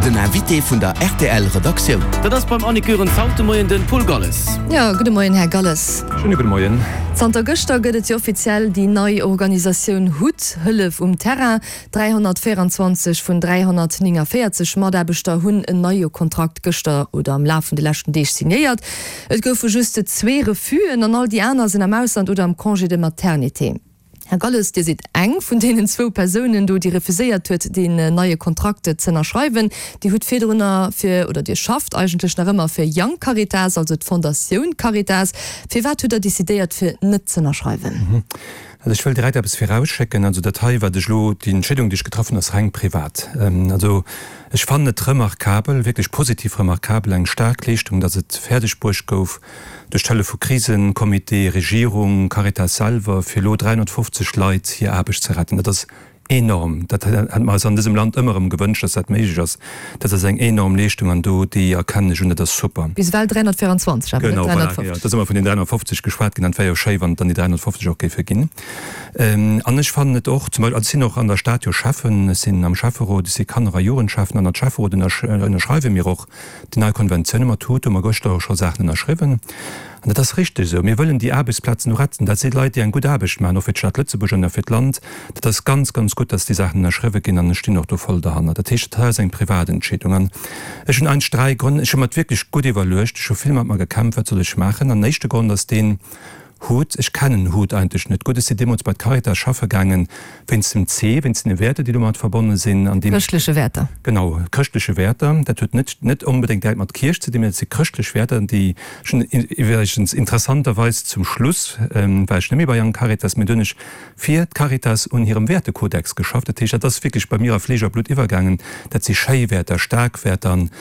Den Invité vun der rtl Redaktioun. Dat ass beim Annick Goerens haut de Moien den Paul Galles. Jo, gudde Moien, Här Galles. Schéine gudde Moien. Zanter gëschter gëtt et jo offiziell déi nei Organisatioun hut, Hëllef um Terrain. 324 vun 349 Mataarbechter hunn en neie Kontrakt gëschter oder am Laf vun de leschten Deeg signéiert. Et goufe just zwee Refusen an all déi aner sinn am Ausland oder am Congé de maternité. Här Galles, Dir sidd eng vun deenen zwou Persounen do, déi refuséiert huet, deen neie Kontrakt z'ënnerschreiwen. Dir hutt virdrunner fir, oder Dir schafft eigentlech nach ëmmer fir Young Caritas, also d'Fondatioun Caritas. Firwat hutt Der decidéiert, fir net z'ënnerschreiwen? Also ech wëll direkt eppes virausschécken, also dat hei, wat ech elo, déi Entscheedung, déi ech getraff hunn, ass reng privat. Also ech fannen et remarkabel, wierklech positiv remarkabel, eng staark Leeschtung, datt et fäerdeg bruecht gouf, duerch d'Hëllef vu Krisencomité, Regierung, Caritas selwer, fir elo 350 Leit hir Aarbecht ze retten. Dat ass enorm. Dat hätte mer eis an dësem Land ëmmer erëm gewënscht, dass dat méiglech ass. Dat ass eng enorm Leeschtung an do, déi erkennen ech un, dat ass super. Bis ewell 324, awer net Genau, voilà, 350. jo. Et ass ëmmer vun den 350 geschwat ginn an et wär jo schéi, wann et dann déi 350 och géife ginn. An ech fannen et och, zum Beispill, also ech sinn och an der Stad jo Schäffen, ech sinn am Schäfferot, ech si Kanner a Jugendschäffen an als Schäfferot ënnerschreiwe mir och Déi nei Konventioune mat hut hu mer gëschter och scho Saachen ënnerschriwwen. An dat ass richteg esou. Mir wëllen déi Aarbechtsplazen do retten. Dat si Leit, déi eng gutt Aarbecht maachen, och fir d'Stad Lëtzebuerg an och fir d'Land. Dat ass ganz, ganz gutt, dass déi Saachen ënnerschriwwe ginn an ech stinn och do voll derhannert. Dat heescht, dat hei ass eng privat Entscheedung. An ech hunn eigentlech dräi Grënn. Ech hu mer et wierklech gutt iwwerluecht. Ech hu vill mat mer gekämpft, Wat soll ech maachen? An den éischte Grond ass deen, Hut, Ech kennen Hut eigentlech net gutt. Ech sinn deemools bei d'Caritas schaffe gaangen, wéinst dem C, wéinst den Wäerter, déi domat verbonne sinn. An deem. Chrëschtleche Wäerter. Genau, chrëschtleche Wäerter. Dat huet net, net onbedéngt direkt mat Kierch ze dinn, mä dat si chrëschtlech Wäerter, déi ech hunn iwwregens interessanterweis zum Schluss war ech net méi bei Young Caritas, mä du hunn ech fir d'Caritas un hirem Wäertekodex geschafft. Dat heescht, dat ass wierklech bei mir a Fleesch a Blutt iwwergaangen. Dat si schéi Wäerter, staark Wäerter an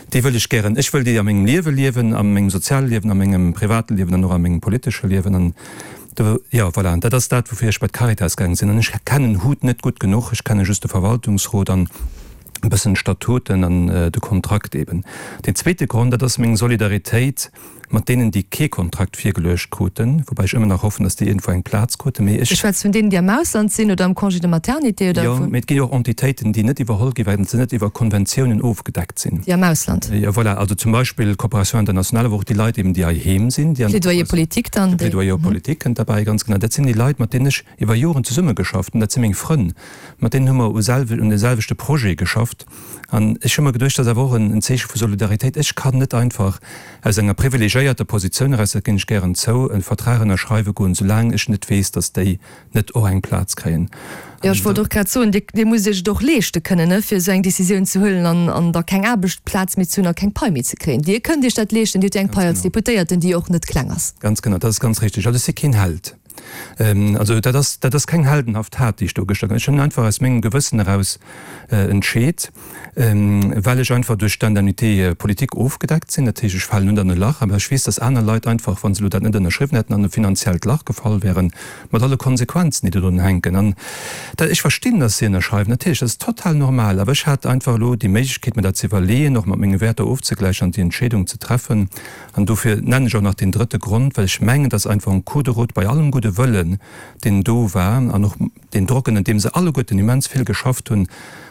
déi wëll ech gären, ech wëll déi a mengem Liewe liewen, a mengem soziale Liewen, a mengem private Liewen an och a mengem politesche Liewen. An do, jo, voilà, dat ass dat, woufir ech bei d'Caritas gaange sinn. An ech kennen hut net gutt genuch, ech kenne just de Verwaltungsrot an e bëssen d'Statuten an de Kontrakt eben. Deen zweete Grond, dat ass meng Solidaritéit Mat deenen, déi kee Kontrakt virgeluecht kruten, woubäi ech ëmmer nach hoffen, datt déi iergendwou eng Plaz kruten, mee ech. Du schwätz vun deenen, déi am Ausland sinn oder am Congé de maternité oder Jo, vun. mee et gi jo och Entitéiten, déi net iwwerholl ginn, well se net iwwer Konventiounen ofgedeckt sinn. Déi am Ausland. Jo, voilà, also zum Beispill d'Coopération internationale, awer och déi Leit eben, déi heiheem sinn, déi an der Plaidoyer politique dann, De déi. Plaidoyer politique kënnt derbäi, ganz genau. Dat sinn déi Leit, mat deenen ech iwwer Joren zesummegeschafft hunn. Dat si meng Frënn, mat deenen hu mer u selwe un deselwechte Projet geschafft. An ech hu mer geduecht, dat ass awer och en Zeeche vu Solidaritéit. Ech kann net einfach aus enger privilegiéierter Positioun eraus, dat ginn ech gären zou, e Vertrag ënnerschreiwe goen, soulaang ech net weess, datt déi net och eng Plaz kréien. Jo, ech wollt och grad soen, Dir, Dir musst Iech et och leeschte kënnen, ne, fir esou eng Décisioun ze huelen an, an da keng Aarbechtsplaz méi ze hunn a keng Pai méi ze kréien. Dir kënnt Iech dat leeschten, Dir hutt jo eng Ganz Pai als genau. Deputéierten, déi och net kleng ass. Ganz genau, dat ass ganz richtig. Also ech si keen Held. Also dat ass, dat ass keng heldenhaft Tat, déi ech do gëschter gemaach hunn. Ech hunn einfach aus mengem Gewëssen eraus entscheet, well ech einfach duerch d'Indemnité politique ofgedeckt sinn. Dat heescht, ech falen net an e Lach, awer ech weess, datt aner Leit einfach, wa se elo dat net ënnerschriwwen hätten, an e finanziellt Lach gefall wären, mat alle Konsequenzen, déi dodrun hänken. An dat, ech verstinn, datt si ënnerschreiwen, natierlech, dat ass total normal, awer ech hat einfach elo déi Méiglechkeet, mir dat ze iwwerleeën, och mat menge Wäerter ofzegläichen an déi Entscheedung ze treffen. An dofir nennen ech och nach deen drëtte Grond, well ech mengen, dass einfach en cours de route bei allem gudde Wëllen, deen do war, an och deen Drock, ënner deem se alleguerten immens vill geschafft hunn,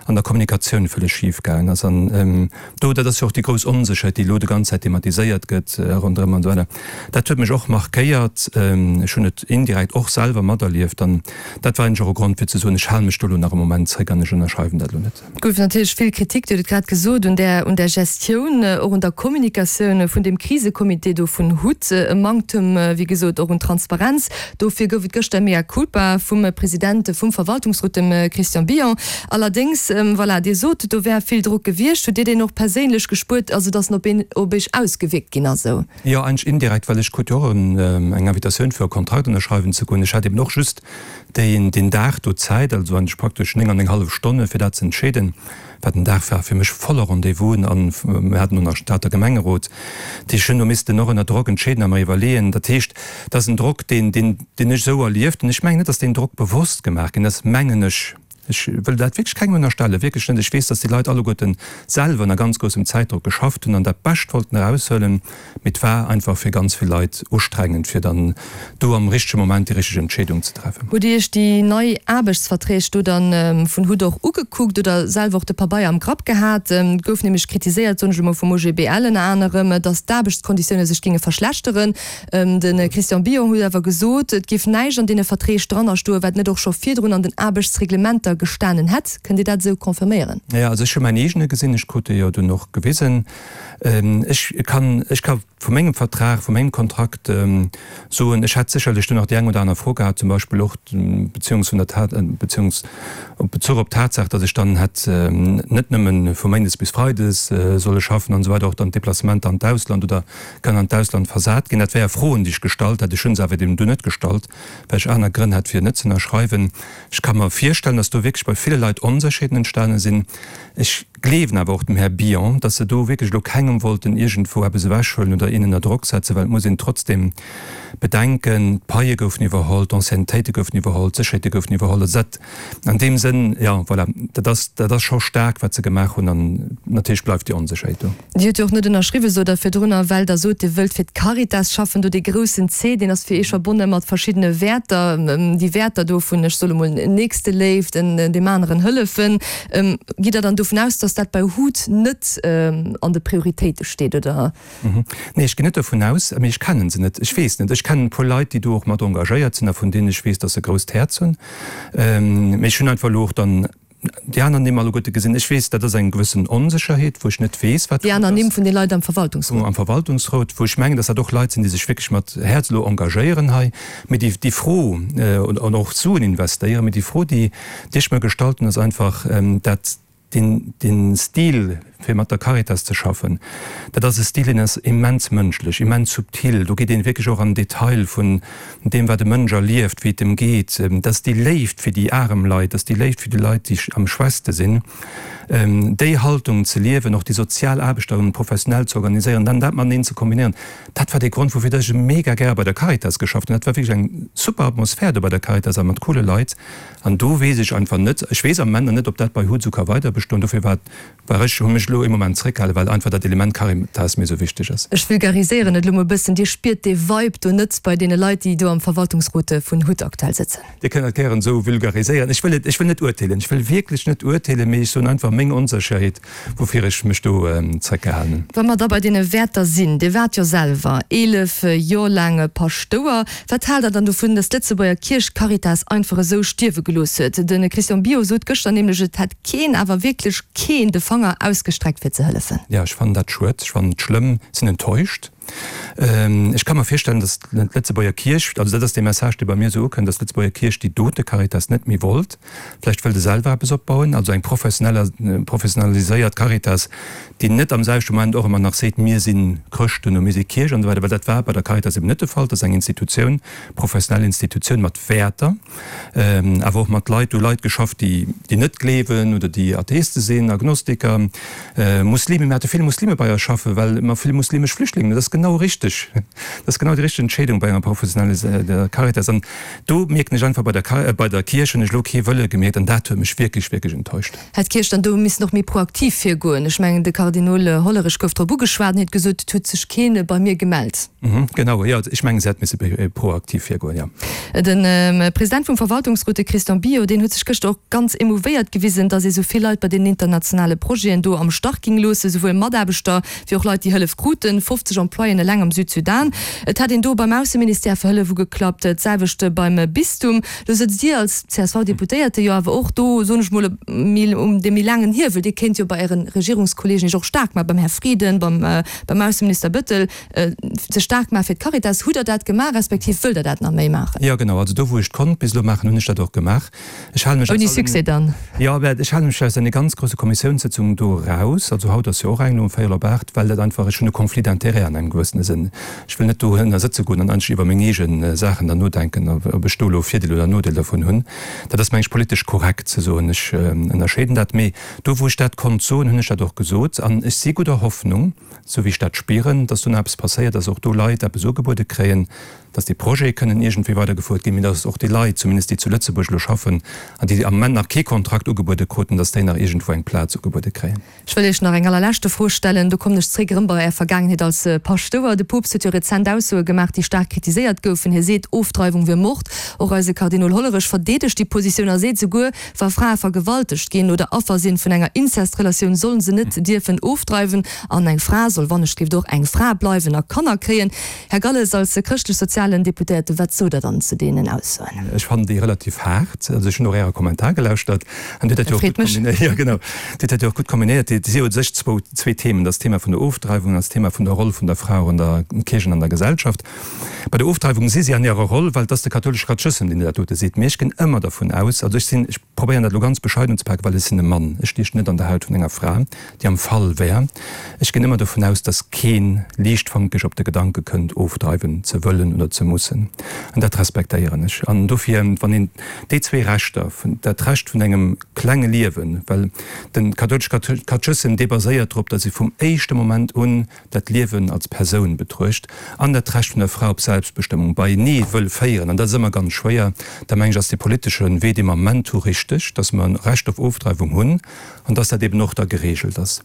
an der Kommunikatioun vëlleg schif gaangen ass. An do, dat ass jo och déi grouss Onsécherheet, déi elo déi ganz Zäit thematiséiert gëtt ronderëm an esou weider, dat huet mech och markéiert. Ech hunn et indirekt och selwer materlieft. An dat war eigentlech och e Grond, fir ze soen, ech hale mech do elo nach e Moment zréck an ech ënnerschreiwen dat elo net. Et gouf natierlech vill Kritik, Dir hutt et grad gesot, un där, un där Gestioun, och un der Kommunikatioun vun deem Krisecomité do vun hut. E Manktem, wéi gesot, och un Transparenz. Dofir gouf et gëschter e Mea culpa vum President vum Verwaltungsrot, dem Christian Billon. Allerdéngs, voilà, Dir sot, do wär vill Drock gewiescht. Hutt Dir deen och perséinlech gespuert, also datt en op een, op Iech ausgewierkt ginn ass esou? Jo, eigentlech indirekt, well ech krut jo och eng Invitatioun fir e Kontrakt ënnerschreiwen ze goen. Ech hat eben och just deen deen Dag do Zäit, also eigentlech praktesch 9 an eng hallef Stonne fir dat ze entscheeden, wat en Dag war fir mech voller Rendez-vousen an mir haten och nach Stater Gemengerot. Dat heescht, ech hunn do missten och ënner Drock entscheeden a mer iwwerleeën. Dat heescht, dat ass en Drock, deen deen deen ech esou erlieft hunn. Ech mengen net, datt deen Drock bewosst gemaach ginn ass, mengen ech. Ech wëll dat wierklech kengem ënnerstellen, wierklech net. Ech weess, dass déi Leit alleguerten selwer ënner ganz groussem Zäitdrock geschafft hunn an dat Bescht wollten eraushuelen, mee et war einfach fir ganz vill Leit ustrengend, fir dann do am richtege Moment déi richteg Entscheedung ze treffen. Hutt Dir Iech déi nei Aarbechtsverträg do dann vun hut och ugekuckt oder selwer och de Pabeier am Grapp gehat? Et gouf nämlech kritiséiert, soen ech elo mol vum OGBL ënner anerem, dass d'Aarbechtskonditioune sech géinge verschlechteren. De Christian Billon huet awer gesot, et géif näischt an deene Verträg dranner stoen, wat net och scho virdrun an den Aarbechtsreglementer gestanen hätt. Kënnt Dir dat esou confirméieren? Jo, also ech hu mäin eegene gesinn, ech krut dee jo dunn och gewisen. Ech kann, ech ka vu mengem Vertrag, vu mengem Kontrakt soen, ech hätt sécherlech do nach déi eng oder aner Fro gehat, zum Beispill och beziehungs vun der Tat, beziehungs op Bezuch op d'Tatsaach, datt ech dann hätt net nëmmen vu méindes bis freides solle schaffen an esou weider, och dann d'Deplacementer an d'Ausland oder kann an d'Ausland versat ginn. Dat wäre Froen, déi ech gestallt hätt. Ech hu se awer deem dunn net gestallt, well ech aner Grënn hat, fir net ze ënnerschreiwen. Ech ka mer virstellen, datt do wierklech bei ville Leit Onsécherheeten entstane sinn. Ech gleewen awer och dem Här Billon, datt se do wierklech elo kengem wollten iergendwou eppes ewechhuelen oder een ënner Drock setzen, well et muss een trotzdem bedenken, d'Paie goufen iwwerholl, d'Anciennetéite goufen iwwerholl, d'Sécherheete goufen iwwerholl. Also dat an deem Sënn, jo, voilà, dat ass, dat ass scho staark, wat se gemaach hunn. An natierlech bleift déi Onsécherheet do. Dir hutt jo och net ënnerschriwwen, sot Der virdrunner, well Der sot, Dir wëllt fir d'Caritas schaffen. Do dee groussen C, deen ass fir Iech verbonne mat verschiddene Wäerter, déi Wäerter do vun, ech soe mol, Nächsteléift, deem aneren hëllefen. Gitt Der dann dovun aus, datt dat bei hut net an de Prioritéite steet, oder? Nee, ech ginn net dovun aus, mee ech kennen se net. Ech weess net. Ech kennen e puer Leit, déi do och mat engagéiert sinn a vun deenen ech weess, datt se e grousst Häerz hunn. Mee ech hunn einfach elo och dann Déi aner Nimm alleguerte gesinn. Ech weess, dat ass eng gewëssen Onsécherheet, wou ech net weess, wat Déi aner Nimm vun de Leit am Verwaltungsrot. Am Verwaltungsrot, wou ech mengen, datt dat och Leit sinn, déi sech wierklech mat Häerz elo engagéieren hei. Mee déi, déi Fro, an och Suen investéieren, mee déi Fro, déi, déi ech mer gestallt hunn, ass einfach dat, deen, dee Stil, fir mat der Caritas ze schaffen, dat ass e Stil, deen ass immens mënschlech, immens subtil. Do geet een wierklech och an den Detail vun deem, wat e Mënsch erlieft, wéi et em geet. Dat ass déi Léift fir déi arem Leit, dat ass déi Léift fir déi Leit, déi am schwächste sinn. Déi Haltung ze liewen, och déi sozial Aarbecht dann professionell ze organiséieren, dann dat mateneen ze kombinéieren, dat war dee Grond, woufir dass ech mega gäre bei der Caritas geschafft hunn. Dat war wierklech eng super Atmosphär do bei der Caritas a mat coole Leit. An do weess ech einfach net, ech weess am Moment nach net, ob dat bei Huzu ka weiderbestoen. Dofir war War ech hu mech elo ee Moment zréckhalen, well einfach dat Element Caritas mir esou wichteg ass. Ech vulgariséieren et elo mol e bëssen, Dir spiert dee Vibe do net bei deene Leit, déi do am Verwaltungsrot vun hut aktuell sëtzen? Dir kënnt dat gären esou vulgariséieren. Ech wëll et, ech wëll net urteelen, ech wëll wierklech net urteelen, mee ech soen einfach meng Onsécherheet, woufir ech mech do zréckgehalen hunn. Wa mer da bei deene Wäerter sinn, Dir waart jo selwer 11 Jor laang Paschtouer. Wat haalt Der dann dovun, datt d'Lëtzebuerger Kierch d'Caritas einfach esou stierwe gelooss huet? De Christian Billaud sot gëschter nämlech, et hätt keen, awer wierklech keen, de Fanger ausgestreckt fir ze hëllefen. Jo, ech fannen dat schued, ech fannen et schlëmm, sinn enttäuscht. Ech ka mer virstellen, datt d'Lëtzebuerger Kierch, also dat ass dee Message, dee bei mir esou ukënnt, datt d'Lëtzebuerger Kierch déi dote Caritas net méi wollt. Vläicht wëllt e selwer eppes opbauen, also eng professionell, professionaliséiert Caritas, déi net am selwechte Moment och ëmmer nach seet, mir si Chrëschten oder mir si Kierch an esou weider, well dat war bei der Caritas eben net de Fall. Dat ass eng Institutioun, professionell Institutioun mat Wäerter. Awer och mat Leit, do Leit geschafft, déi déi net gleewen oder déi Atheiste sinn, Agnostiker, Muslime. Mir hate vill Muslime bei eis schaffen, well mer vill muslimesch Flüchtlingen hunn. Dat ass genau richteg. Dat ass genau déi richteg Entscheedung bei enger professionelle Caritas. An do mierken ech einfach, bei der bei der Kierch hunn ech elo kee Wëlle gemierkt an dat huet mech wierklech, wierklech enttäuscht. Hätt d'Kierch dann do missen och méi proaktiv virgoen? Ech mengen, de Kardinol Hollerich gouf drop ugeschwat an huet gesot, et huet sech kee bei mir gemellt. Genau, jo, ech mengen, se hätt misse méi proaktiv virgoen, jo. De President vum Verwaltungsrot, de Christian Billaud, deen huet sech gëschter och ganz emouvéiert gewisen, datt ee sou vill Leit bei deenen internationale Projeten do am Stach ging loossen, souwuel Mataarbechter wéi och Leit, déi Hëllef kruten, 50 Employéen eleng am Südsudan. Et hätt een do beim Ausseministère fir Hëllef ugeklappt, d'selwecht beim Bistum. Lo sëtzt Dir als CSV-Deputéierte jo awer och do, soen ech mol, um deem méi laangen Hiewel. Dir kéint jo bei Äre Regierungskolleegen Iech och staark maachen, beim Här Frieden, beim Ausseminister Bettel, sech staark maachen fir d'Caritas. Hutt Der dat gemaach, respektiv wëllt Der dat nach méi maachen? Jo, genau. Also do, wou ech et konnt bis elo maachen, hunn ech dat och gemaach. Ech hale mech aus Ouni Succès dann? Jo, mä ech hale mech aus deene ganz grousse Kommissiounssëtzungen do eraus. Also haut ass jo och eng elo um véierel op 8, well dat einfach, ech hunn e Conflit d'intérêts an engem gewëssene Sënn. Ech wëll net dohënner sëtze goen an eigentlech iwwer meng eege Saachen dann nodenken, ob ech do elo Virdeel oder Nodeel dervun hunn. Dat ass, meng ech, politesch korrekt ze soen. Ech ënnerscheeden dat. Mee do, wou ech dat konnt soen, hunn ech dat och gesot. An ech si gudder Hoffnung, esou wéi ech dat spieren, dass do nach eppes passéiert, dass och do Leit eppes ugebuede kréien. dass déi Projete kënnen iergendwéi weidergefouert ginn, mee dass och déi Leit, zumindest déi zu Lëtzebuerg elo schaffen an déi am Moment nach kee Kontrakt ugebuede kruten, dass déi nach iergendwou eng Plaz ugebuede kréien. Ech wëll Iech nach eng allerleschte Fro stellen, do kommen ech zréck erëm bei Är Vergaangenheet als Paschtouer. De Poopst huet jo rezent Aussoe gemaach, déi staark kritiséiert goufen. Hie seet, Ofdreiwung wier Mord. Och eise Kardinol Hollerech verdeedegt déi Positioun a seet souguer, wa Frae vergewaltegt ginn oder Affer sinn vun enger Inzestrelatioun, sollen se net dierfen ofdreiwen. An eng Fra soll wannechgelift och eng Fra bleiwen a Kanner kréien. Här Galles, als chrëschtlech-sozialen Deputéierte, wat sot Der dann zu deenen Aussoen? Ech fannen déi relativ haart. Also ech hunn och Äre Kommentar gelauschtert an Dir hutt dat jo och gutt kombinéiert. Jo, genau. Dir hutt dat jo och gutt kombinéiert. Et si jo u sech zwou, zwee Themen. Dat ass d'Thema vun der Ofdreiwung an d'Thema vun der Roll vun der Fra och an der Kierch an an der Gesellschaft. Bei der Ofdreiwung si si an hirer Roll, well et ass de kathoulesche Katechëssem, deen dat dote seet. Mee ech ginn ëmmer dervun aus, also ech sinn, ech probéieren dat elo ganz bescheiden unzepaken, well ech sinn e Mann, ech stiechen net an der Haut vun enger Fra, déi am Fall wär. Ech ginn ëmmer dovun aus, dass kee liichtfankeg op de Gedanke kënnt, ofdreiwen ze wëllen oder ze mussen. An dat respektéieren ech. An dofir, wann een déi zwee Rechter, dat Recht vun engem klenge Liewen, well de kathoulesche Katechëssem, dee baséiert drop, dass ee vum éischte Moment un dat Liewen als Persoun betruecht, an dat Recht vun der Fra op Selbstbestëmmung beienee wëll féieren, an dat ass ëmmer ganz schwéier, da meng ech, ass dee politesche Wee, dee mer am Moment hu, richteg, dass mer e Recht op Ofdreiwung hunn, an dass dat eben och da geregelt ass.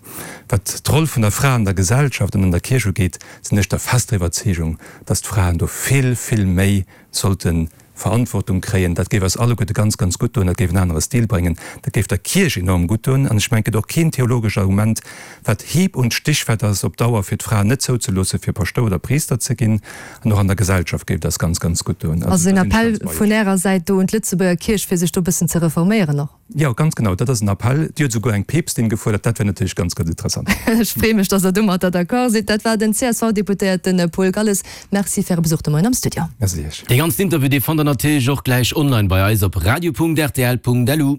Wat d'Roll vun der Fra an der Gesellschaft an an der Kierch ugeet, sinn ech der fester Iwwerzeegung, dass d'Fraen do vill, vill méi sollte Verantwortung kréien. Dat géif eis alleguerte ganz, ganz gutt doen, dat géif en anere Stil bréngen, dat géif der Kierch enorm gutt doen. An ech mengen, et gëtt och keen theologescht Argument, wat hieb und stichfett ass, op Dauer fir d'Fraen net zouzeloosse fir Paschtouer oder Priister ze ginn. An och an der Gesellschaft géif et eis ganz, ganz gutt doen. Also en Appell vun Ärer Säit do un d'Lëtzebuerger Kierch, fir sech do e bëssen ze reforméieren och? Jo, ganz genau, dat ass en Appell. Dir hutt esouguer eng Peepstin gefuerdert. Dat wär natierlech ganz, ganz interessant. Ech freeë mech, dass Der domatter d'accord sidd. Dat war den CSV-Deputéierte Paul Galles. Merci fir Äre Besuch de Moien am Studio. Merci Iech. Dee ganzen Interview, dee fannt Der natierlech och gläich online bei eis op radio.rtl.lu.